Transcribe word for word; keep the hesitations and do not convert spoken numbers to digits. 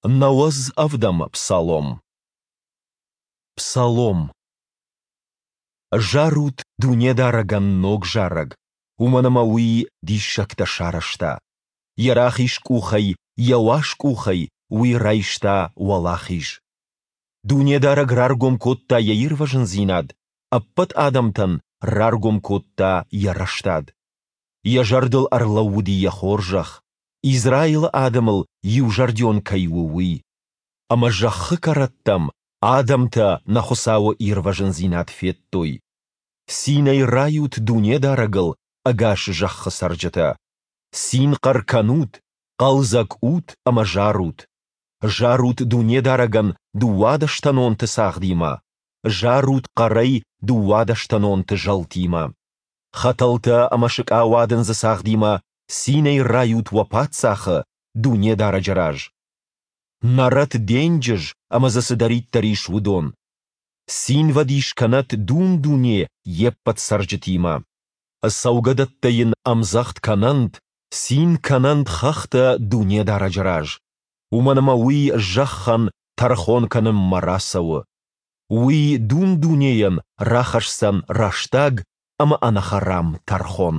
Нӕуӕдз ӕвдӕм псалом. Псалом. Зарут Дунедарӕгӕн ног зарӕг, уымӕн ӕмӕ Уый диссӕгтӕ сарӕзта. Йӕ рахиз къухӕй, Йӕ уаз къухӕй Уый райста уӕлахиз. Дунедарӕг раргом кодта Йӕ ирвӕзындзинад, ӕппӕт адӕмтӕн раргом кодта Йӕ рӕстад. Йӕ зӕрдыл ӕрлӕууыди Йӕ хорзӕх, Израилы адӕмыл иузӕрдион кӕй у, уый. Ӕмӕ зӕххы кӕрӕттӕм адӕмтӕ нӕ Хуыцауы ирвӕзындзинад федтой. Цинӕй райут Дунедарӕгыл, ӕгас зӕххы цӕрджытӕ! Цинхъӕр кӕнут, хъӕлдзӕг ут ӕмӕ зарут! Зарут Дунедарӕгӕн дыууадӕстӕнонты цагъдимӕ, зарут хъӕрӕй дыууадӕстӕнонты зӕлтимӕ. Хӕтӕлтӕ ӕмӕ сыкъауадындзы цагъдимӕ цинӕй райут уӕ Паддзахы, Дунедарӕджы раз. Нӕрӕд денджыз ӕмӕ дзы цыдӕриддӕр ис, уыдон. Цинвӕдис кӕнӕд дун-дуне йе ппӕт цӕрджытимӕ. Цӕугӕдӕттӕ йын ӕмдзӕгъд кӕнӕнт, цин кӕнӕнт хӕхтӕ Дунедарӕджы раз. Уымӕн ӕмӕ Уый зӕххӕн тӕрхон кӕнынмӕ рацӕуы. Уый дун-дунейӕн рахӕсдзӕн рӕстаг ӕмӕ ӕнӕхӕрам тӕрхон.